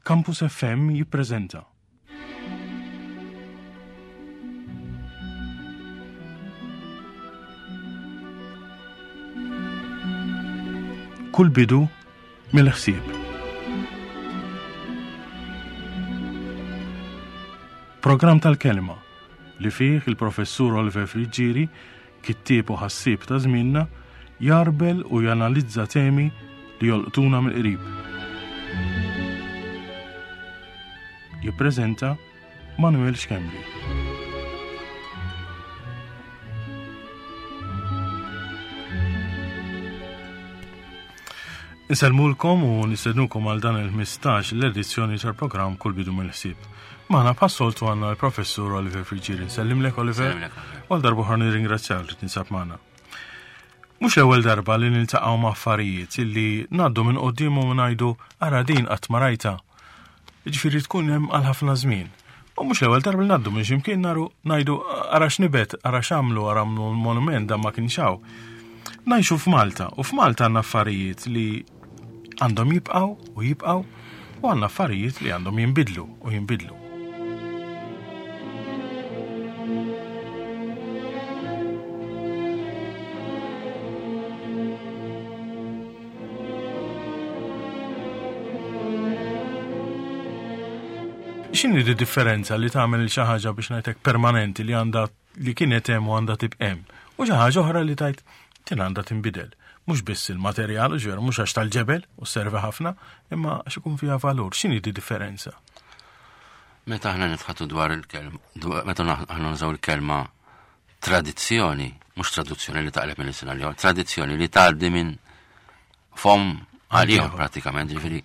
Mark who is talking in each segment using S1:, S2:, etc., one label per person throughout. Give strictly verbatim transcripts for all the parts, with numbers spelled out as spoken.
S1: Campus F M jippreżenta Kull bidu mill-ħsieb. Programm tal-kelma li fih il-professur Oliver Friggieri, kittieb u ħassieb ta' żmienna, jarbel u janalizza temi li jolqtuna mill-qrib. Jippreżenta Manuel Schembri. Insellmulkom u nistednukom għal dan il-ħmistax l-edizzjoni tal-programm Kull Bidu mill-Ħsieb. Magħna bħas-soltu għandna l-professur Oliver Friggieri. Nsellimlek, Oliver. U għal darba oħra nirringrazzjak li tinsab magħna. Mhux l-ewwel darba li niltaqgħu ma' affarijiet illi ngħaddu minn qudiemhom u ngħidu, "Ara, din qatt ma rajta." Ġifieri tkun hemm għal ħafna żmien. U mhux l-ewwel darba li ngħaddu minn x'imkien naru ngħidu, "Ara x'nibet, ara x'għamlu, ara monument, dan ma kienx hawn." Ngħixu f'Malta u f'Malta għandna affarijiet li għandhom jibqgħu u jibqgħu u għandna affarijiet li għandhom jinbidlu u jinbidlu. X'inhi di differenza li tagħmel xi ħaġa, biex ngħidlek, permanenti, li għandha li kienet hemm u għandha tibqa' hemm, u xi ħaġa oħra li tgħid din għandha tinbidel? Mhux biss il-materjal, ġveru, mhux għax tal-ġebel u servi ħafna, imma għax ikun fiha valur. X'inhi di differenza?
S2: Meta aħna nitħaddtu dwar il-kelma, meta aħna nużaw il-kelma tradizzjoni, mhux traduzzjoni li taqleb minn sena li tradizzjoni li tgħaddi minn fom għal pratikament, ġifieri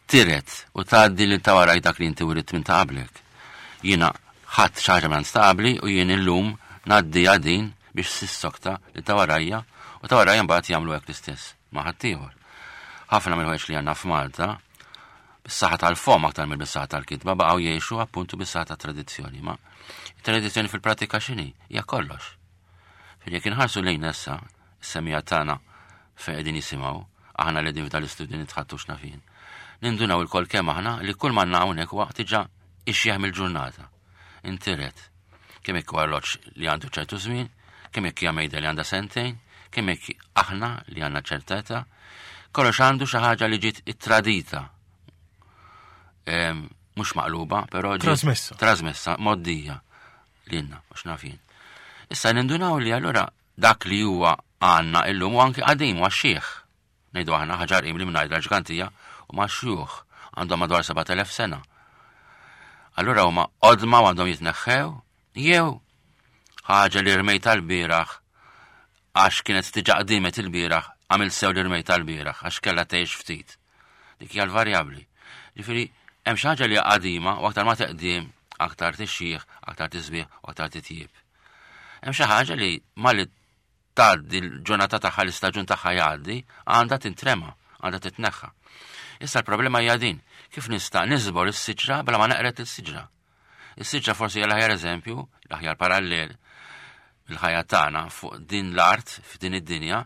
S2: tiret u tgħaddi li ta' waraj dak li inti wirit minn ta' qablek. Jiena ħadt xi ħaġa minn ta' qabli u jien illum ngħaddi għadin biex sissokta li ta' warajja u ta' warajja mbagħad jagħmlu hekk l-istess ma' ħaddieħor. Ħafna mill-ħwejjeġ li għandna f'Malta bis-saħħa tal-fom aktar mill bis-saħħa tal-kitba baqgħu jgħixu appuntu bis-saħħa tat-tradizzjoni. Ma tradizzjoni fil-pratika x'inhi? Hija kollox. Fejn jekk inħarsu lejn issa, is-semmiegħa tagħna fejn qegħdin jisimgħu, aħna li qegħdin f'dal-istudju nitħaddtu x'nafin. Nindunaw ilkoll kemm aħna li kull ma hawnhekk waqt diġà ixjeħ mill-ġurnata. Intiret. Kemm jekk arloġġ li għandu ċertu żmien, kemm jekk hija mejda li għandha sentejn, kemm jekk aħna li għandna ċerta età, kollox għandu xi ħaġa li ġiet ittradita. Mhux maqluba, però
S1: trasmessa.
S2: Trasmessa, mgħoddija lilna, mhux nafin. Issa nindunaw li allura dak li huwa għandna illum u anki qadim huwa xieħ. Ngħidu aħna ħaġar li mingħajr l-ġgantija u ma xjuħ għandhom madwar sebat elef sena. Allura huma qodma u għandhom jitneħħew jew ħaġa li rmejt tal-bieraħ għax kienet diġà qdimet il-bieraħ, għamil sew li rmejt tal-bieraħ għax kellha tgħix ftit? Dik hija l-varjabbli. Ġifieri hemm xi ħaġa li qadima u aktar ma teqdim, aktar tixjih, aktar tisbieħ u aktar titjib. Hemm xi ħaġa li malli tgħaddi l-ġurnata tagħha, l-istaġun tagħha jgħaddi, għandha tintrema, għandha titneħħa. Issa l-problema hija din, kif nista' niżbor is-siġra bla ma neqred is-siġra? Is-siġra forsi hija l-aħjar eżempju, l-aħjar parallel il-ħajja tagħna fuq din l-art, f'din id-dinja,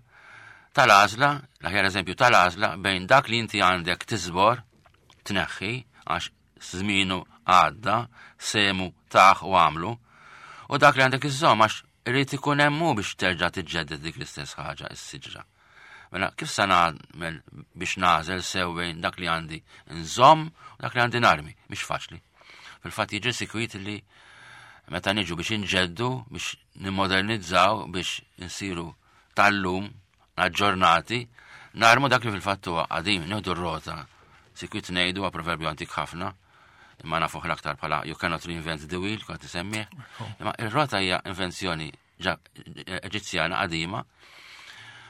S2: tal-għażla, l-aħjar eżempju tal-għażla bejn dak li inti għandek tiżbor, tneħħi, għax żmienu għadda, semu taħ u għamlu, u dak li għandek iżżomm għax irid ikun hemm biex terġa' tiġġedded dik l-istess ħaġa, is-siġra. Mela, kif sa nagħmel biex nagħżel sew bejn dak li għandi nżomm u dak li għandi narmi? Mhix faċli. Fil-fatt jiġri sikwit li meta niġu biex inġeddu, biex nimmodernizzaw, biex insiru tal-lum, aġġornati, narmu dak li fil-fatt huwa qadim. Nieħdu r-rota. Sikwit ngħidu, proverbju antik ħafna, imma nafuh l-aktar bħala "you cannot reinvent the wheel", kont isemmih. Imma ir-rota hija invenzjoni Eġizzjana qadima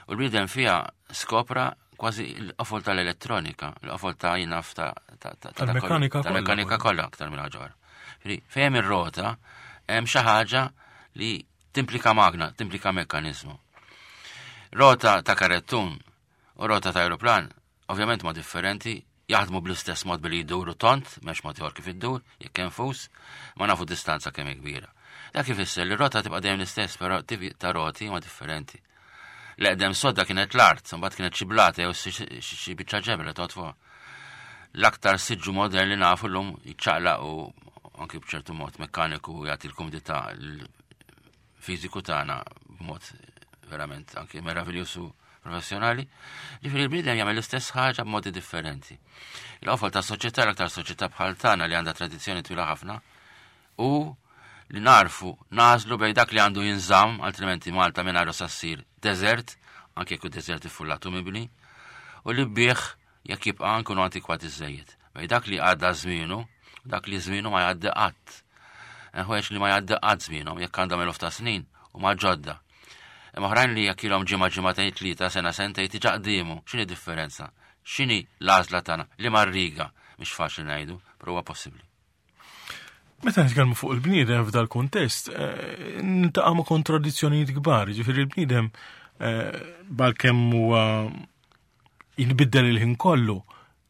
S2: u l-bniedem fiha skopra kważi l-qofol tal-elettronika, l-qofol ta' jinaf ta'
S1: tal-mekkanika.
S2: Tal-mekkanika kollha aktar minn ħaġa. Fejn ir-rota hemm xi ħaġa li timplika magna, timplika mekkanizmu. Rota ta' karettun u rota ta' aeroplan ovvjament ma differenti, jaħdmu bl-istess mod billi jduru tont, m'hemmx mod ieħor kif iddur, jekk hemm fus, ma nafu distanza kemm kbira. Dak ifisser li rota tibqa' dejjem l-istess, però tipi ta' roti ma differenti. L-eqdem sodda kienet l-art, mbagħad kienet xi blata jew xi biċċa ġebel li toqgħod fuqha. L-aktar siġġu modern li nafu llum jiċċaqlaq u anki b'ċertu mod mekkaniku jagħti l-kumdità l-fiżiku tagħna b'mod verament anki meraviljuż u professjonali. Ġifieri l-bniedem jagħmel l-istess ħaġa b'modi differenti. Il-qofol ta' soċjetà, l-aktar soċjetà bħal tagħna li għandha tradizzjoni twila ħafna, u li narfu nażlu bejn dak li għandu jinżamm, altrimenti Malta mingħajru sa ssir deżert, anke jekk deżert iffullat u mibni, u li bih jekk jibqa' nkunu antikwati żejjed. Bejn dak li għadda żmienu, u dak li żmienu ma jgħaddi qatt. Ħwejjeġ li ma jgħaddi qatt żmienhom jekk għandhom eluf ta' snin u ma ġodda. Imma oħrajn li jekk ilhom ġimgħa, ġimagħtejn, tlieta, sena, sentejn diġà qdiemu. X'inhi differenza? X'inhi l-għażla tagħna? Liema riga? Mhix faċli ngħidu, però huwa possibbli.
S1: Meta nitkellmu fuq il-bniedem f'dal kuntest, eh, niltaqgħu ma' kontradizzjonijiet kbar, ġifieri il-bniedem eh, balkemm huwa jinbiddel il-ħin kollu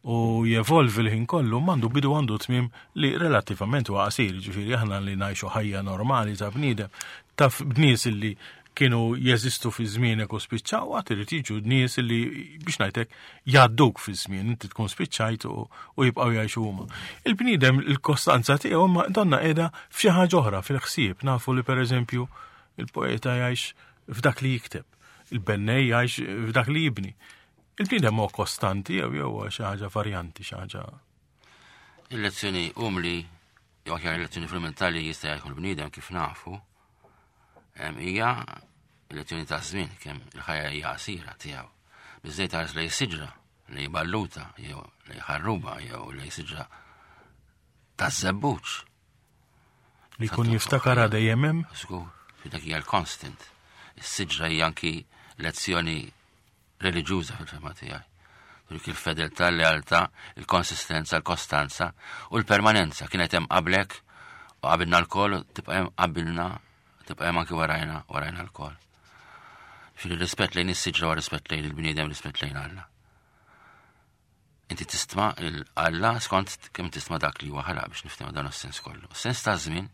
S1: u jevolvi l-ħin kollu, m'għandu bidu, għandu tmiem li relattivament huwa qasir, ġifieri aħna li ngħixu ħajja normali ta' bniedem, taf bnies li kienu jeżistu fi żmienek u spiċċaw, għad irid jiġu nies li, biex ngħidlek, jgħadduk fi żmien, inti tkun spiċċajt u, u jibqgħu jgħixu huma. Il-bniedem il-kostanza tiegħu ma donna qiegħda f'xi ħaġa oħra fil-ħsieb, nafu li pereżempju il-poeta jgħix f'dak li jikteb, il-bennej jgħix f'dak li jibni. Il-bniedem huwa kostanti jew jew xi ħaġa varjanti, xi ħaġa.
S2: Il-lezzjoni umli, jew aħjar il-lezzjoni fundamentali jista' jkun il-bniedem kif nafu, em, hija il-lezzjoni ta' żmien, kemm il-ħajja hija qasira tiegħu. Biżejt ħares lejn siġra, lejn balluta, jew lejn ħarruba, jew lejn siġra ta' żebbuġ.
S1: Li jkun jiftakar dejjem hemm.
S2: Żgur, fi dak hija l-constant. Is-siġra hija anki lezzjoni reliġjuża fil-fehma tiegħi. Dik il-fedeltà, l-lealtà, il-konsistenza, l-kostanza u l-permanenza kienet hemm qablek u qabilna lkoll, tibqa' hemm qabilna, tibqa' hemm anki warajna, warajna lkoll. Fil-rispett lejn is-siġra u rispett lejn il-bniedem, rispett lejn Alla. Inti tistma il-Alla skont kemm tistma dak li huwa ħalaq, biex niftehmu dan is-sens kollu. Sens ta' żmien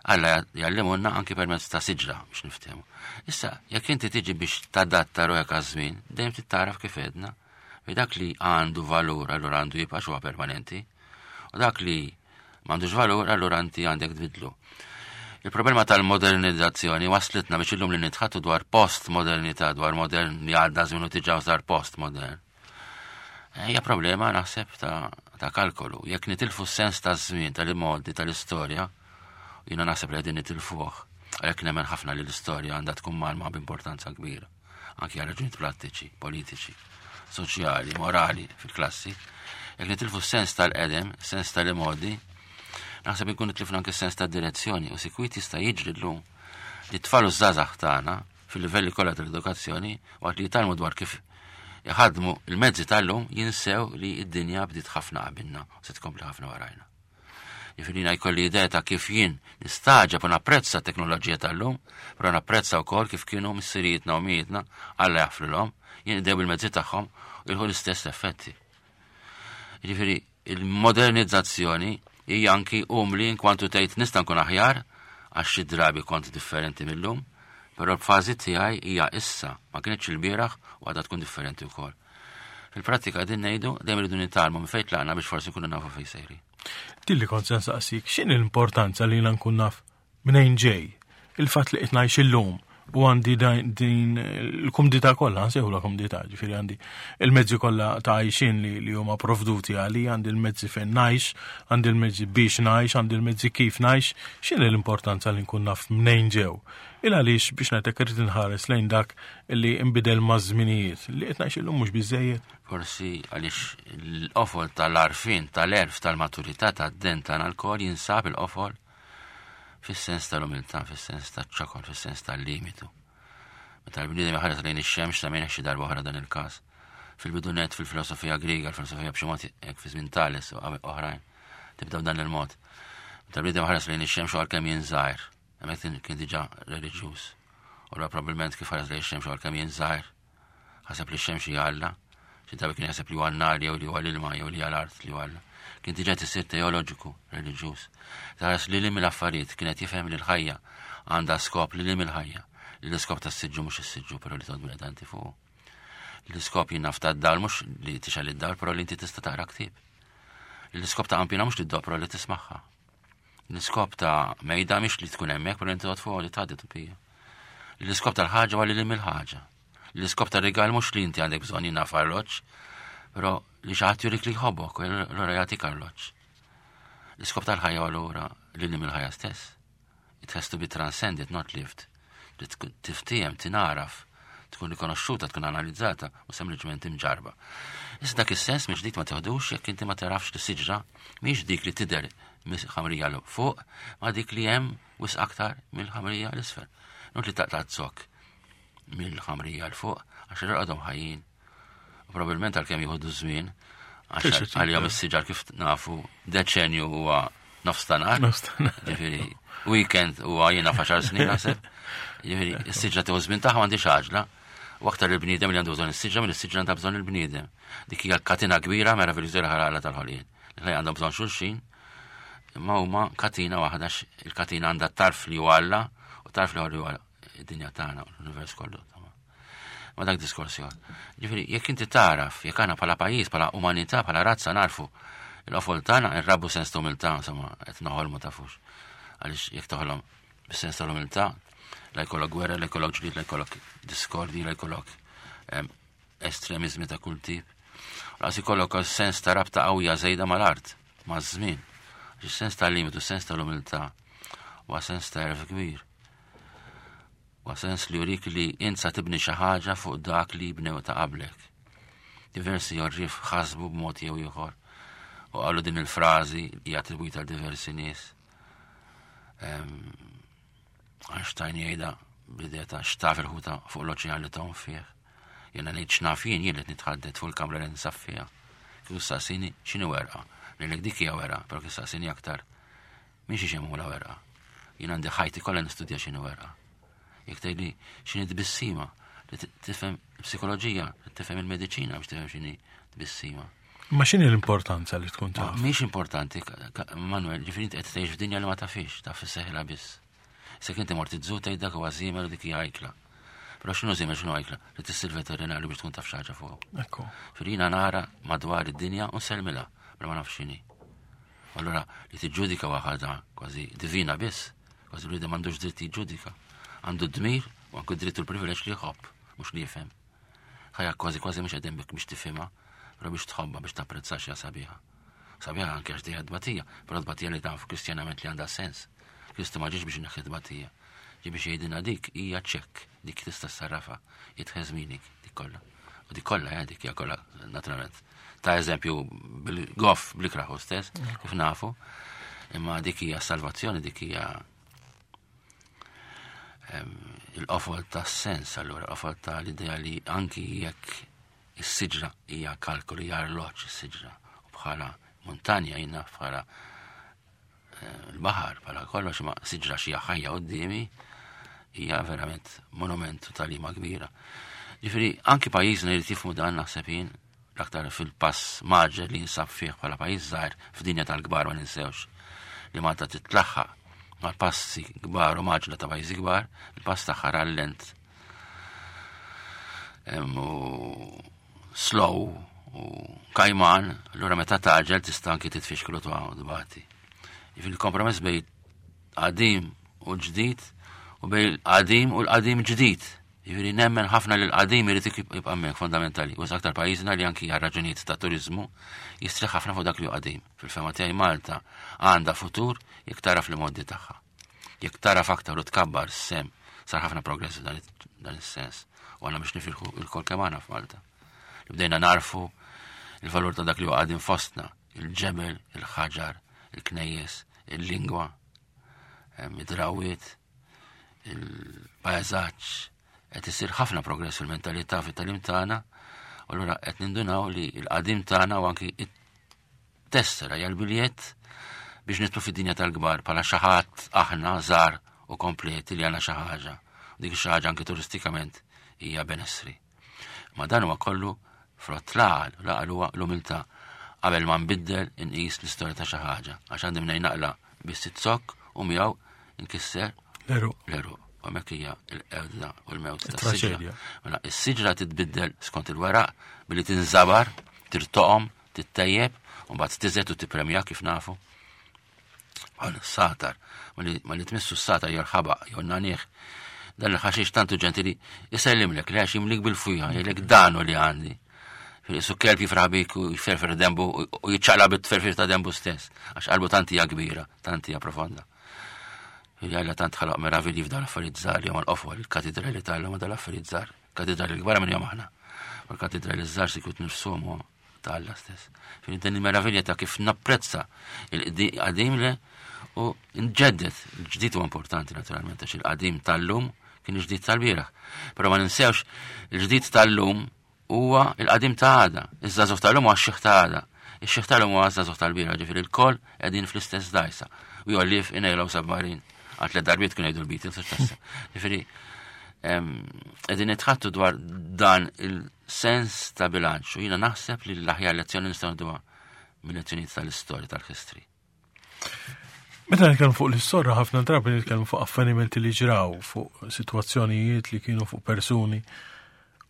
S2: Alla jgħallimulna anki permezz ta' siġra biex niftehmu. Issa, jekk inti tiġi biex tadatta ruħek għaż-żmien, dejjem tittaraf kif edna. Bi dak li għandu valur, allura għandu jibqa' huwa permanenti. U dak li m'għandux valur, allura inti għandek tbidlu. Il-problema tal-modernizzazzjoni waslitna biex illum li nitħattu dwar post-modernità, dwar modern li għadda żmien u diġà sar post-modern. Hija problema naħseb ta', ta kalkolu. Jekk nitilfu s-sens ta' żmien, tal-modi, tal-istorja, jiena naħseb li qegħdin nitilfuh. Għalhekk nemmen ħafna li l-istorja għandha tkun mgħallma b'importanza kbira. Anki għal raġunijiet prattiċi, politiċi, soċjali, morali fil-klassi. Jekk nitilfu s-sens tal-qedem, sens tal-modi, naħseb ikun nitlifna anke s-sens tad-direzzjoni u sikwit jista' jiġri llum li tfal u żgħażagħ tagħna fil-livelli kollha tal-edukazzjoni, waqt li jitgħallmu dwar kif jħadmu il-mezzi tal-lum, jinsew li id-dinja bdiet ħafna qabilna u se tkompli ħafna warajna. Jiġifieri jkolli idea ta' kif jien nistagħġeb u napprezza t-teknoloġija tal-lum, però napprezza wkoll kif kienu missirijietna u ommijietna, Alla jaħfrilhom, jinqdew bil-mezzi tagħhom u jilħu l-istess effetti. Jiġifieri il-modernizzazzjoni hija anki umli in kwantu tgħid nista' nkun aħjar għax xi drabi kont differenti mill-lum, però l-fażi tiegħi hija issa, ma kienx il-bieraħ u għadha tkun differenti wkoll. Fil-prattika din ngħidu dejjem irridu nitgħallmu minn fejn tlaqna biex forsi nkunu nafu fejn sejri.
S1: Dilli kont se nsaqsik, x'inhi l-importanza li jiena nkun naf minn ġej? Il-fatt li qed ngħix illum u għandi din il-kumdità kollha, nsejħula kumdità, ġifieri għandi il-mezzi kollha ta' għajxin li, li huma provduti għali, għandi l-mezzi fejn ngħix, għandi l-mezzi biex ngħix, għandi l-mezzi kif ngħix, x'inhi l-importanza li nkun naf mnejn ġew? Il għaliex, biex ngħidlek, irid inħares lejn dak li nbidel maż-żminijiet li qed ngħix illum mhux biżejjed.
S2: Forsi għaliex l-qofol tal-għarfien, tal-għerf, tal-maturità, tad-den tagħna lkoll jinsab il-qofol fis-sens tal-umiltà, fis-sens taċ-ċokon, fis-sens tal-limitu. Meta l-bniedem iħares lejn ix-xemx, ta' xi darba oħra dan il-każ. Fil-bidu net fil-filosofija Griega, l-filosofija b'xi mod hekk fi żmien Tales u oħrajn, tibda b'dan il-mod. Meta l-bniedem ħares lejn ix-xemx għal kemm jien żgħir, hemmhekk kien diġà reliġjuż. U probabbilment kif ħares lejn ix-xemx għal kemm jien żgħir, ħaseb li x-xemx hija Alla, xi drabi kien jaħseb li huwa n-nar jew li huwa l-ilma jew li huwa l-art li huwa Alla. Kien diġà tisir teoloġiku, reliġjuż. Taras li li mill-affarijiet kienet jifhem li l-ħajja għandha skop, li li mill-ħajja. Li l-iskop tas-siġġu mhux is-siġġu, però li toqgħod bil-qedanti fuq. L-iskop jien naf tad-dawl mhux li tixgħel id-dawl, però li inti tista' taqra ktieb. L-iskop ta' qanpiena mhux li ddopra li tismagħha. L-iskop ta' mejda mhix li tkun hemmhekk, però inti toqgħod fuq li tgħaddi tupija. L-iskop tal-ħaġa huwa li lil il-ħaġa. L-iskop tar-rigal mhux li inti għandek bżonn jiena arloġġ, però li xi ħadd jurik li jħobbok, u allura jagħtik arloġġ. L-iskop tal-ħajja allura li lil il-ħajja stess. It has to be transcended, not lived. Li tkun tiftiem, tinaraf, tkun rikonoxxuta, tkun analizzata u sempliċement imġarba. Issa dak is-sens mhix dik ma teħdux jekk inti ma tarafx li siġra mhix dik li tidher mill-ħamrija 'l fuq, ma dik li hemm wisq aktar mill-ħamrija 'l isfel. Not li taqta' zokk mill-ħamrija 'l fuq għax għadhom ħajjin. U probabbilment għalkemm jieħdu żmien, għax
S1: Fil-xi
S2: għalihom is-siġar kif nafu deċenju huwa nofs ta' nhar.
S1: Nofs ta' nhar.
S2: Ġifieri, weekend huwa jiena f'għaxar snin naħseb. Ġifieri, is-siġra tieħu żmien tagħha m'għandix għaġla. U aktar il-bniedem li għandu bżonn is-siġra minn is-siġra għandha bżonn il-bniedem. Dik hija katina kbira meraviljuża ħaraqla tal-ħolqien. Li għandhom bżonn xulxin, imma huma katina waħda x- il-katina għandha tarf li huwa Alla u tarf li huwa id-dinja tagħna u l-univers kollu. Ma dak diskors ieħor. Ġifieri, jekk inti taraf, jekk aħna bħala pajjiż, bħala umanità, bħala razza narfu il-qofol tagħna nrabbu sens ta' umiltà, insomma, qed noħolmu tafux. Għaliex jekk toħlom bis-sens tal-umiltà, la jkollok gwerra, la jkollok ġlied, la jkollok diskordi, la jkollok em, estremizmi ta' kull tip. Lanqas ikollok sens ta' rabta qawwija żejda mal-art, maż-żmien. Għax sens ta' limitu, sens tal-umiltà, huwa sens ta' għerf kbir. Huwa sens li jurik li int sa tibni xi ħaġa fuq dak li bnew ta' qablek. Diversi għorrief ħasbu b'mod jew ieħor u qalu din il-frażi hija attribwita għal diversi nies. Em, Einstein jgħidha bl-idea ta' x'taf il-ħuta fuq l-oċean li tgħum fih. Jiena ngħid x'naf jien jien li nitħaddet fuq il-kamra li ninsab fiha. Kieku saqsini x'inhi werqa. Ngħidlek dik hija werqa, però kieku saqsini aktar minn xi xemula werqa. Jien għandi ħajti kollha nistudja x'inhi werqa. Jekk tgħidli x'inhi tbissima, li t- tifhem psikoloġija, li tifhem il-mediċina biex tifhem x'inhi tbissima.
S1: Ma x'inhi l-importanza li tkun
S2: Ma
S1: taf?
S2: Mhix importanti, ka- ka- Manuel, ġifieri inti qed tgħix f'dinja li ma tafix, taf isseħħilha biss. Se inti mort iż-zoo tgħid dak huwa żiemel u dik hija ajkla. Però x'inhu żiemel x'inhu ajkla? Li tissir veterinarju biex tkun taf xi ħaġa fuq.
S1: Ekku.
S2: Firina nara madwar id-dinja u nsellmilha, però ma nafx x'inhi. Allora li tiġġudika waħda kważi divina biss, kważi li m'għandux dritt jiġġudika. Għandu dmir u anke dritt u l-privileġġ li jħobb, mhux li jifhem. Ħajja kważi kważi mhux qegħdin bik biex tifhimha, però biex tħobbha biex tapprezza xi sabiħa. Sabiħa anke għax dejja tbatija, però tbatija li taf kristjanament li għandha sens. Kristu ma ġiex biex ineħħi tbatija. Ġie biex jgħidilna dik hija ċekk, dik tista' ssarrafa, it has meaning, dik kollha. U dik kollha, eh, dik hija kollha naturalment. Ta' eżempju bil-goff bl-ikraħu stess, kif nafu, imma dik hija salvazzjoni, dik hija em, il-qofol ta' sens, allura, il-qofol ta' l-idea li anki jekk is-siġra hija kalkolu, hija arloġġ is-siġra, u bħala montanja jina bħala eh, l-baħar, bħala kollox, ma siġra xi ħajja qudiemi hija verament monument u tagħlima kbira. Ġifieri, anki pajjiżna jrid jifhmu dan naħseb jien l-aktar fil-pass mgħaġġel li jinsab fih bħala pajjiż żgħir f'dinja tal-kbar ma ninsewx li Malta titlaħħaq mal-passi kbar u mgħaġġla ta' pajjiżi kbar, il-pass tagħha rallent Em, u slow u kajman, allura meta tgħaġġel tista' anki titfixklu tuha u tbati. Jiġifieri il-kompromess bejn qadim u ġdid u bejn qadim u l-qadim ġdid. Jiġifieri nemmen ħafna li l-qadim irid jibqa' hemmhekk fondamentali. U aktar pajjiżna li anki għal raġunijiet ta' turizmu jistrieħ ħafna fuq dak li hu qadim. Fil-fehma tiegħi Malta għandha futur jekk taraf l-modi tagħha. Jekk taraf aktar u tkabbar sem sar ħafna progress dan dan is-sens. U għandna biex nifirħu il-kol kemm għandna f'Malta. Li bdejna narfu il-valur ta' dak li huwa qadim fostna, il-ġebel, il-ħaġar, il-knejjes, il-lingwa, em, id-drawiet, il-pajzaġġ, qed isir ħafna progress fil-mentalità fit-tagħlim tagħna, u allura qed nindunaw li l-qadim tagħna u anki it-tessera hija l-biljett biex nidħlu fid-dinja tal-kbar bħala xi ħadd aħna żgħar u kompleti li għandna xi ħaġa. U dik xi ħaġa anki turistikament hija benessri. Ma dan huwa kollu frott l-għaqal, l-għaqal huwa l-umiltà. Qabel ma nbiddel inqis l-istorja ta' xi ħaġa, għax għandi mnejn naqla biss zokk u miegħu nkisser
S1: L-għeruq.
S2: l-għeruq. U hemmhekk hija l-qerda u l-mewt tas-siġra.
S1: Traġedja.
S2: Mela, is-siġra titbiddel skont il-weraq billi tinżabar, tirtoqom, tittejjeb U mbagħad tiżed u tippremja kif nafu. Bħal satar, ma li tmissu s-satar jew l-ħabaq jew n-nagħniegħ. Dan il-ħaxix tantu ġentili jsellimlek li għax jimlik bil-fwieħa, jgħidlek danu li għandi. Su kelb jifraħ bik u jferfer dembu u jiċċaqla bit-tferfir ta' dembu stess, għax qalbu tant hija kbira, tant hija profonda. Jalla tant ħalaq meravilji f'dan l-affarijiet żgħar li huma l-qofol, il-katidrali tal-lum dan l-affarijiet żgħar. Katidrali kbar minn jom aħna. U l-katidrali żgħar sikwit nifsuhom huwa ta' Alla stess. Fin din il-meravilja ta' kif napprezza il-qadim le u nġeddet. Il-ġdid huwa importanti naturalment għax il-qadim tal-lum kien il-ġdid tal-bieraħ. Però ma ninsewx il-ġdid tal-lum huwa il-qadim ta' għada. Iż-żagħżugħ tal-lum huwa x-xiħ ta' għada. Ix-xiħ tal-lum huwa ż-żagħżugħ tal-bieraħ, ġifieri l-koll qegħdin fl-istess dajsa. We all live in a yellow submarine. Għal tliet darbiet kienu jgħidu l-Beatles, għax tassa. Ġifieri qegħdin nitħattu dwar dan il-sens ta' bilanċ u jiena naħseb li l-aħjar lezzjoni nistgħu nduha mill-lezzjonijiet tal-istorja tal-history.
S1: Meta nitkellmu fuq l-istorja ħafna drabi nitkellmu fuq avvenimenti li ġraw, fuq sitwazzjonijiet li kienu fuq persuni.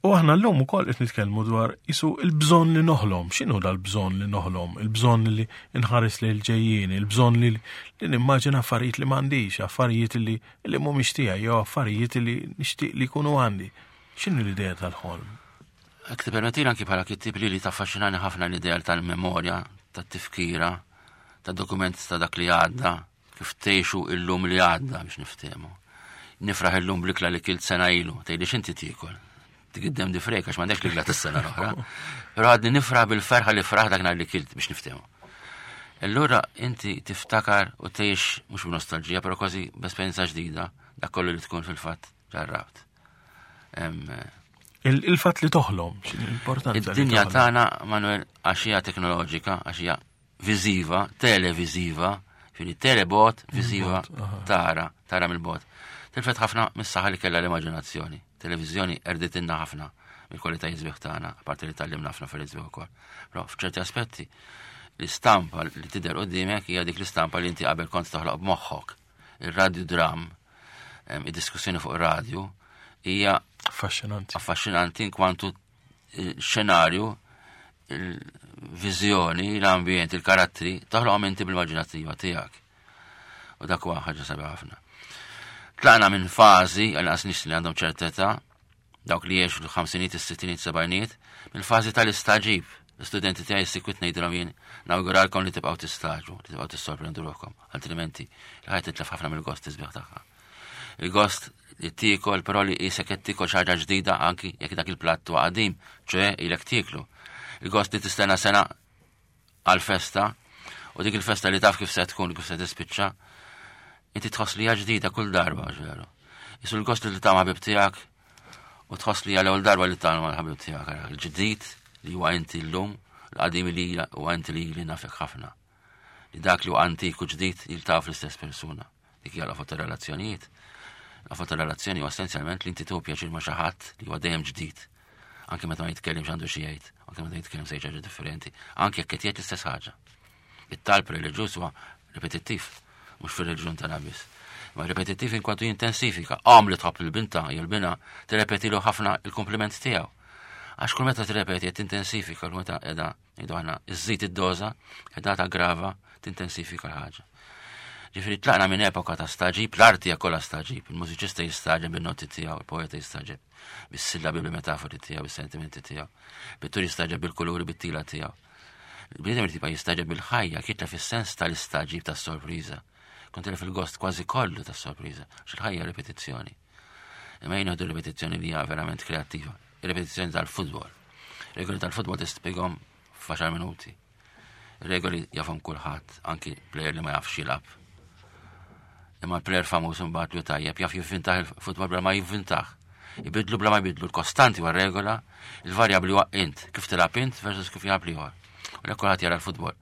S1: U aħna llum ukoll qed nitkellmu dwar isu il-bżonn li noħlom. X'inhu dal-bżonn li noħlom? Il-bżonn li nħares lejn il-ġejjieni, il-bżonn li li nimmaġina affarijiet li m'għandix, affarijiet li li mhumiex tiegħi jew affarijiet li nixtieq li jkunu għandi. X'inhu l-idea tal-ħolm?
S2: Jekk tippermettili anki bħala kittib li li taffaxxinani ħafna l-idea tal-memorja, tat-tifkira, tad-dokument ta' dak li għadda, kif tgħixu illum li għadda biex niftehmu. Nifraħ illum bl-ikla li kilt sena ilu, tgħidli x'inti tiekol. Tigiddem di frejk għax m'għandekx l-ikla tas-sena l-oħra. Però għadni nifraħ bil-ferħa li fraħ dak nhar li kilt biex niftehmu. Allura inti tiftakar u tgħix mhux b'nostalġija, però kważi b'esperjenza ġdida dak kollu li tkun fil-fatt ġarrabt.
S1: Il-fatt li toħlom, x'inhi l-importanza li
S2: Id-dinja
S1: toħlom?
S2: tagħna, Manuel, għax hija teknoloġika, għax hija viżiva, televiżiva, ġifieri telebot, viżiva,
S1: Bot, aha.
S2: tara, tara mill-bot. Tilfet ħafna mis-saħħa li kellha l-immaġinazzjoni. Televiżjoni erditinna ħafna mill-kwalitajiet sbieħ tagħna, apparti li tgħallimna ħafna affarijiet sbieħ ukoll. Però f'ċerti aspetti l-istampa li tidher quddiemek hija dik l-istampa li inti qabel kont toħloq b'moħħok. Il-radio dram, em, id-diskussjoni fuq ir-radju hija
S1: Affaxxinanti.
S2: affaxxinanti in kwantu il-xenarju, il-viżjoni, l-ambjent, il-karattri, toħloqhom inti bil-immaġinattiva tiegħek. U dak huwa ħaġa sabiħa ħafna. Tlaqna minn fażi, għal nies li għandhom ċertezza, dawk li jgħixu l-ħamsinijiet, is-sittinijiet, sebgħinijiet, mill-fażi tal-istaġib. L-istudenti tiegħi sikwit ngħidilhom jien nawguralkom li tibqgħu tistaġu, li tibqgħu tissorprendu ruħkom, altrimenti l-ħajja titlef ħafna mill-gost tisbieħ tagħha. Il-gost li tiekol, però li qisek qed tiekol xi ħaġa ġdida anki jekk dak il-platt huwa qadim, ċoe ilek tieklu. Il-gost li tistenna sena għal-festa u dik il-festa li taf kif se tkun, kif se tispiċċa, inti tħoss li hija ġdida kull darba, ġveru. Isu l-gost li ta' ħabib tiegħek u tħoss li hija l-ewwel darba li ta' mal-ħabib tiegħek, ara, il-ġdid li huwa inti llum, l-qadim li huwa inti li li nafek ħafna. Li dak li huwa antik u ġdid jiltaqgħu fl-istess persuna. Dik hija l-qofol relazzjonijiet. L-qofol relazzjoni huwa essenzjalment li inti tieħu pjaċir ma' xi ħadd li huwa dejjem ġdid. Anke meta ma jitkellimx għandu xi jgħid, anke meta jitkellem se jgħid ħaġa differenti, anke jekk qed jgħid l-istess ħaġa. It-talb reliġjuż huwa ripetittiv, mhux fir-reliġjon tagħna biss. Ma ripetittiv in kwantu jintensifika. Għam li tħobb il-binta jew l-bina tirrepetilu ħafna il-kompliment tiegħu. Għax kull meta tirrepeti qed tintensifika, kull meta qiegħda ngħidu aħna iżżid id-doża, qiegħda taggrava, tintensifika l-ħaġa. Ġifieri tlaqna minn epoka ta' staġib, l-arti hija kollha staġib, il-mużiċista jistaġeb bin-noti tiegħu, il-poeta jistaġeb bis-sillabi, bil-metafori tiegħu, bis-sentimenti tiegħu, pittur jistaġeb bil-kuluri, bit-tila tiegħu. Il-bniedem irid jibqa' jistaġeb bil-ħajja, kitlef is-sens tal-istaġib tas-sorpriża. Kont tilef il-gost kważi kollu tas-sorpriża, għax il-ħajja ripetizzjoni. Imma jien nieħdu ripetizzjoni li hija verament kreattiva, ripetizzjoni tal-futbol. Regoli tal-futbol tispjegahom f'għaxar minuti. Regoli jafhom kulħadd, anki player li ma jafx jilgħab. Imma l-player famuż imbagħad li tajjeb jaf jivvintah il-futbol bla ma jivvintah. Ibidlu bla ma jbidlu l-kostanti huwa regola, il-varjabbli huwa int, kif tilgħab int versus kif jilgħab l-ieħor. U lek kulħadd jara l-futbol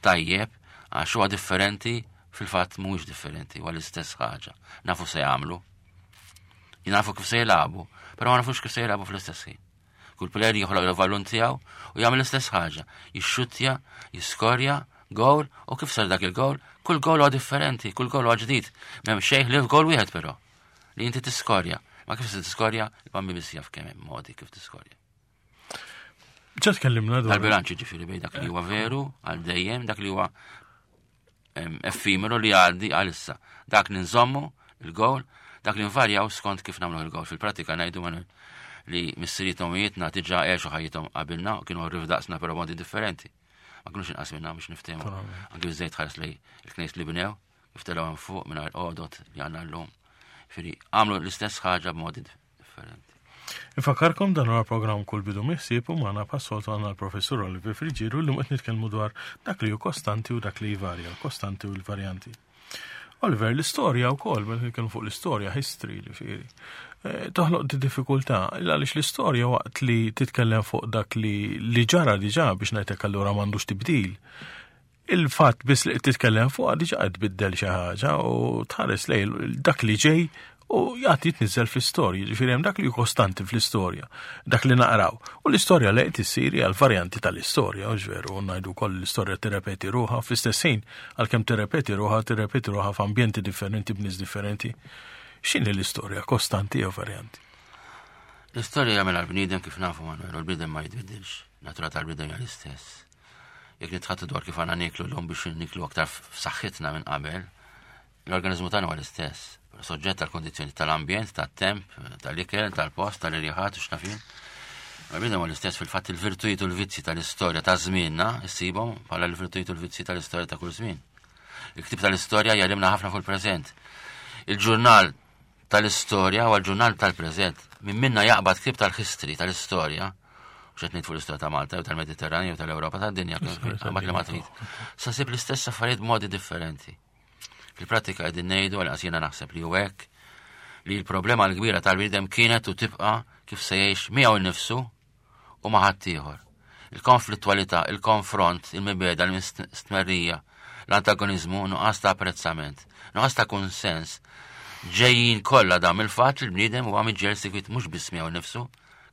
S2: tajjeb għax huwa differenti, fil-fatt mhuwiex differenti, huwa l-istess ħaġa. Nafu se jagħmlu, nafu kif se jilagħbu, però ma nafux kif se jilagħbu fl-istess ħin. Kull player joħloq il-ballun tiegħu u jagħmel l-istess ħaġa, jixxuttja, jiskorja, goal, u kif sar dak il-goal, kull goal huwa differenti, kull goal huwa ġdid. M'hemm xejn li goal wieħed però, li inti tiskorja. Ma kif se tiskorja, il-bambi biss jaf kemm hemm modi kif tiskorja.
S1: Ġa tkellimna dwar.
S2: Tal-bilanċ ġifieri bejn dak li huwa veru għal dejjem, dak li huwa effimeru li għaddi għal issa. Dak li nżommu il-goal, dak li nvarjaw skont kif nagħmlu il-goal. Fil-pratika ngħidu Manuel li missiriethom u ommijietna diġà għexu ħajjithom qabilna u kienu rrif daqsna però modi differenti. Ma kienux inqas minna biex niftehmu. Anki biżejt ħares li l-knejs li bnew, kif telgħu hemm fuq mingħajr għodot li għandna llum. Ġifieri għamlu l-istess ħaġa b'modi differenti.
S1: Infakarkom dan huwa programm Kull Bidu Miħsieb u magħna bħas-soltu għandna l-professur Oliver Friggieri u llum qed nitkellmu dwar dak li hu kostanti u dak li jvarja, l-kostanti u l-varjanti. Oliver, l-istorja wkoll, meta nitkellmu fuq l-istorja, history, ġifieri, eh, toħloq di diffikultà, għaliex l-istorja waqt li titkellem fuq dak li li ġara diġà biex ngħidlek allura m'għandux tibdil. Il-fatt biss li titkellem fuq diġà qed tbiddel xi ħaġa u tħares lej dak li ġej u jgħati jitniżel fl-istorja, ġifieri hemm dak li hu kostanti fl-istorja, dak li naqraw. U l-istorja li qed issir hija l-varjanti tal-istorja, u veru, ngħidu wkoll l-istorja tirrepeti ruħha fl-istess ħin, għalkemm tirrepeti ruħha, tirrepeti ruħha f'ambjenti differenti b'nies differenti. X'inhi l-istorja, kostanti jew varjanti?
S2: L-istorja jagħmel għall-bniedem kif nafu Manuel, u l-bniedem ma jitbiddilx. Natura tal-bniedem hija l-istess. Jekk nitħattu dwar kif għandna nieklu llum biex niklu aktar f'saħħitna minn qabel, l-organizmu tagħna huwa l-istess. Soġġett tal-kondizzjoni tal-ambjent, tat-temp, tal-ikel, tal-post, tal-irjaħat u x'nafin. Ma bniedem huwa l-istess fil-fatt il-virtujiet u l-vizzi tal-istorja ta' żmienna issibhom bħala l-virtujiet u l-vizzi tal-istorja ta' kull żmien. Il-ktib tal-istorja jgħallimna ħafna fuq il-preżent. Il-ġurnal tal-istorja huwa l-ġurnal tal-preżent. Min minna jaqbad ktib tal-history tal-istorja, u xed ngħid fuq l-istorja ta' Malta, jew tal-Mediterranju, jew tal-Ewropa, tad-dinja, qabad li ma trid. Sa sib l-istess affarijiet b'modi differenti. Fil-pratika qegħdin ngħidu għal jiena naħseb li hu hekk li l-problema l-kbira tal-bniedem kienet u tibqa' kif se jgħix miegħu nnifsu u ma' ħaddieħor. Il-konflittwalità, il-konfront, il-mibeda, l-mistmerrija, l-antagonizmu, nuqqas ta' apprezzament, nuqqas ta' kunsens, ġejjin kollha dam il-fatt li l-bniedem huwa miġġieled sikwit mhux biss miegħu nnifsu,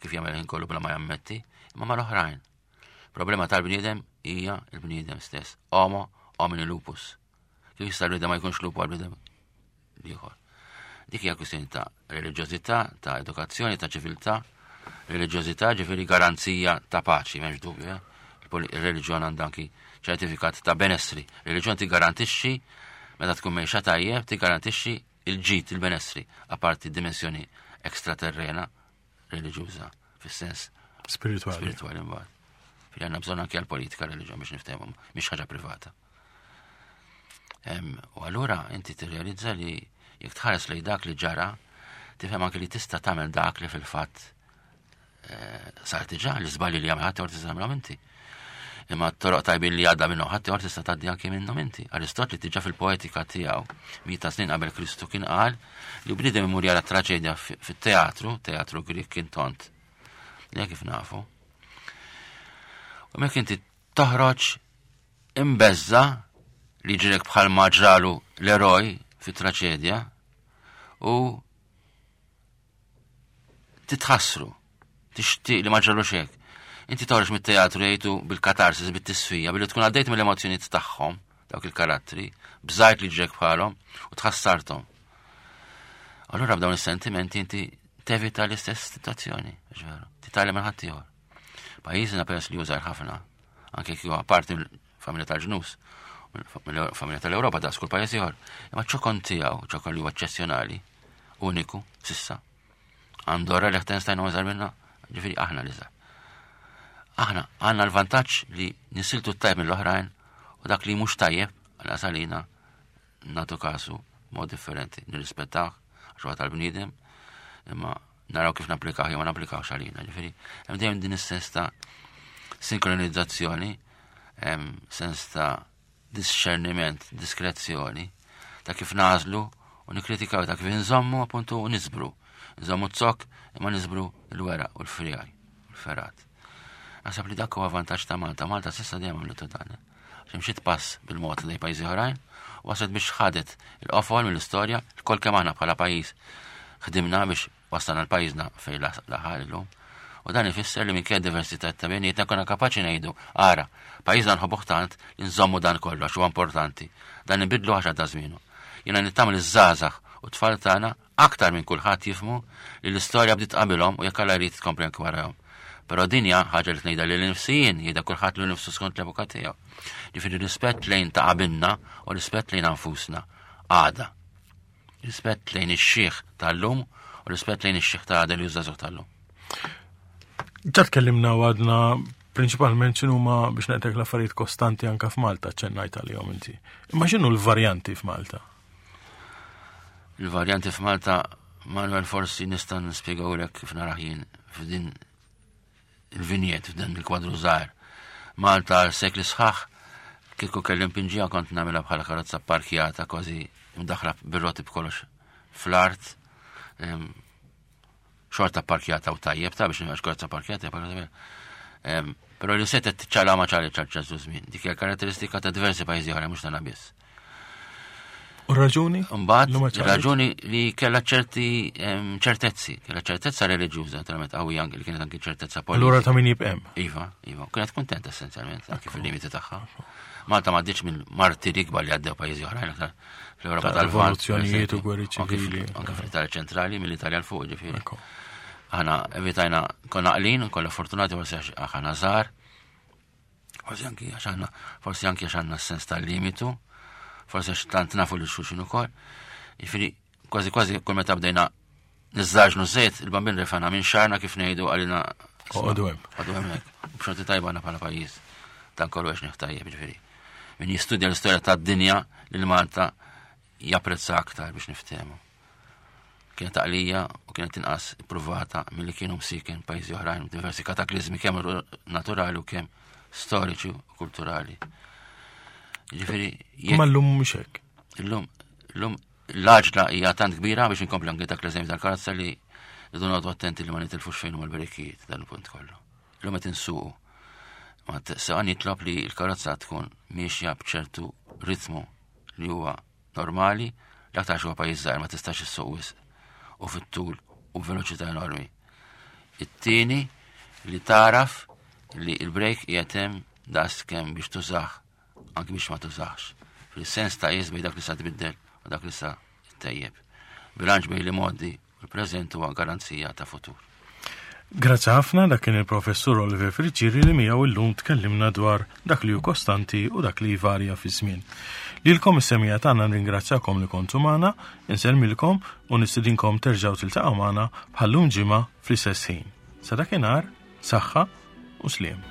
S2: kif jagħmel ħin kollu bla ma jammetti, imma mal-oħrajn. Problema tal-bniedem hija l-bniedem stess. Homo homini lupus. Kif jista' l-bniedem ma jkunx lupu għal-bniedem ieħor. Dik hija kwistjoni ta' reliġjożità, ta' edukazzjoni, ta' ċiviltà. Reliġjożità ġifieri garanzija ta' paċi, m'hemmx dubju, eh? Il-reliġjon għandha anki ċertifikat ta' benessri. Reliġjon tigarantixxi meta tkun mejxa tajjeb, tigarantixxi il-ġid, il-benessri, apparti dimensjoni ekstraterrena reliġjuża fis-sens
S1: Spirituali.
S2: Spirituali mbagħad. Fil għandna bżonn anke għall-politika reliġjon biex niftehmu, mhix ħaġa privata. U allura inti tirrealizza li jekk tħares lejn dak li ġara, tifhem anke li tista' tagħmel dak li fil-fatt sar diġà, l-iżbalji li jagħmel ħadd ieħor tista' tagħmilhom inti. Imma t-toroq tajbin li għadda minnhom ħadd ieħor tista' tgħaddi anke minnhom inti. Aristotli diġà fil-poetika tiegħu mijiet ta' snin qabel Kristu kien qal li bniedem imur jara traġedja fit-teatru, teatru Grieg kien tont. Li kif nafu. U mek inti toħroġ imbeżza li ġrek bħal ma ġralu l-eroj fit-traġedja u titħassru, tixtieq li ma ġralu xek. Inti toħroġ mit-teatru jgħidu bil-katarsis, bit-tisfija, billi tkun għaddejt mill-emozzjonijiet tagħhom, dawk il-karattri, bżajt li ġrek bħalhom u tħassarthom. Allura b'dawn is-sentimenti inti tevita l-istess situazzjoni, ġveru, titgħallem minn ħaddieħor. Pajjiżna peress li jużar ħafna, anke kif huwa parti mill-familja tal-ġnus, mill-familja tal-Ewropa daqs kull pajjiż ieħor, imma ċokon tiegħu, ċokon li huwa eċċezzjonali, uniku, sissa. Andorra, Liechtenstein u iżgħar minna, ġifieri aħna li żgħar. Aħna għandna l-vantaġġ li nisiltu t-tajb mill-oħrajn u dak li mhux tajjeb għal salina nagħtu kasu mod differenti, nirrispettaw għax huwa tal-bniedem, imma naraw kif napplikaw jew ma napplikawx għalina. Ġifieri hemm dejjem din is-sens ta' sinkronizzazzjoni, hemm sens ta' discerniment, diskrezzjoni, ta' kif nażlu u nikkritikaw, ta' kif nżommu appuntu u nisbru. Nżommu z-zokk imma nisbru l-weraq u l-frijaj u l-ferat. Naħseb li dak huwa vantaġġ ta' Malta. Malta s'issa dejjem għamlu dan. Għax imxiet pass bil-mod lejn pajjiżi oħrajn, u waslet biex ħadet il-qofol mill-istorja, l-kol kemm aħna bħala pajjiż ħdimna biex wasalna l-pajjiżna fejn laħaq illum. U dan ifisser li minkejja diversità ta' bejnietna konna kapaċi ngħidu, ara, pajjiżna nħobbuh tant li nżommu dan kollu għax huwa importanti. Dan nibidlu għax għadda żmienu. Jiena nittamel iż-żgħażagħ u tfal tagħna aktar minn kulħadd jifhmu li l-istorja bdiet qabilhom u jekk Alla jrid tkompli anke warahom. Però din hija ħaġa li tnejda lil nifsi jien, jgħidha kulħadd lil nifsu skont l-epoka tiegħu. Ġifieri rispett lejn ta' qabilna u rispett lejn anfusna għada. Rispett lejn ix-xiħ tal-lum u rispett lejn ix-xiħ ta' għada li jużażuh tal-lum.
S1: Ġa tkellimna u għadna prinċipalment x'inhuma biex ngħidlek l-affarijiet kostanti anka f'Malta ċennajt għalihom inti. Imma x'inhu l-varjanti f'Malta?
S2: Il-varjanti f'Malta, Manuel, forsi nista' nispjegawlek kif narah jien f'din il-vinjet, f'dan il-kwadru żgħir. Malta għal sekli sħaħ, kieku kelli npinġiha kont nagħmilha bħala karozza parkjata kważi mdaħla bir-roti b'kollox fl-art. Em, xorta parkjata u tajjeb ta' biex nibgħax karozza parkjata, parkjata. Em, Però li setet ċala ma ċali ċal żmien. Dik hija karatteristika ta' diversi pajjiżi oħra, mhux tagħna biss.
S1: U raġuni?
S2: Mbagħad
S1: Li ma ċalit?
S2: raġuni li kellha ċerti em, ċertezzi, kellha ċertezza reliġjuża, naturalment qawwija anke li kienet anke ċertezza politika.
S1: Allura ta' min jibqem.
S2: Iva, iva, kienet kuntenta essenzjalment, anke fil-limiti tagħha. Malta ma għaddietx minn martiri kbar li għaddew pajjiżi oħrajn aktar fl-Ewropa
S1: Ta'
S2: tal-Lvant.
S1: rivoluzzjonijiet u gwerri
S2: Anke fil-
S1: ċivili.
S2: Anke fl-Italja ċentrali, mill-Italja 'l fuq, ġifieri.
S1: Ekku.
S2: Aħna evitajna, konna għaqlin, konna fortunati forsi għax aħna żgħar, forsi anki għax aħna, forsi anki għax għandna s-sens tal-limitu, forsi għax tant nafu lil xulxin ukoll. Jiġifieri, kważi kważi kull meta bdejna niżżaġnu żejt, il-bambin refana minn xarna kif ngħidu għalina.
S1: Oqogħdu hemm.
S2: Oqogħdu hemmhekk. U b'xorti tajba għandna bħala pajjiż. Dan kollu għax tajjeb, ġifieri. Min jistudja l-istorja tad-dinja lil Malta japprezza aktar biex niftehmu. Kienet għaqlija u kienet inqas ippruvata milli kienu msiken pajjiżi oħrajn, diversi kataklizmi kemm naturali u kemm storiċi u kulturali. Ġifieri, jekk
S1: Ma llum mhux hekk.
S2: illum, illum l-għaġla hija tant kbira biex inkompli anke dak l-eżempju tal-karozza li rridu noqogħdu attenti li ma nitilfux fejn huma l-brejkijiet dan il-punt kollu. Illum qed insuqu. Ma sewqan jitlob li l-karozza tkun miexja b'ċertu ritmu li huwa normali, l-aktar huwa pajjiż żgħir ma tistax issuq wisq u fit-tul u b'veloċità enormi. It-tieni li taraf li il-brejk qiegħed hemm daqs kemm biex tużah anki biex ma tużax. Fil-sens ta' qies bejn dak li sa tbiddel u dak li sa ttejjeb. Bilanċ bejn l-imgħoddi u l-preżent huwa garanzija ta' futur.
S1: Grazzi ħafna, dak kien il-professur Oliver Friggieri li miegħu illum tkellimna dwar dak li hu kostanti u dak li jvarja fi żmien. Lilkom is-semmiegħa tagħna nringrazzjakom li kontu magħna, insellmilkom u nistedinkom terġgħu tiltaqgħu magħna bħallum ġimgħa fl-istess ħin. Sa dakinhar, saħħa u sliem.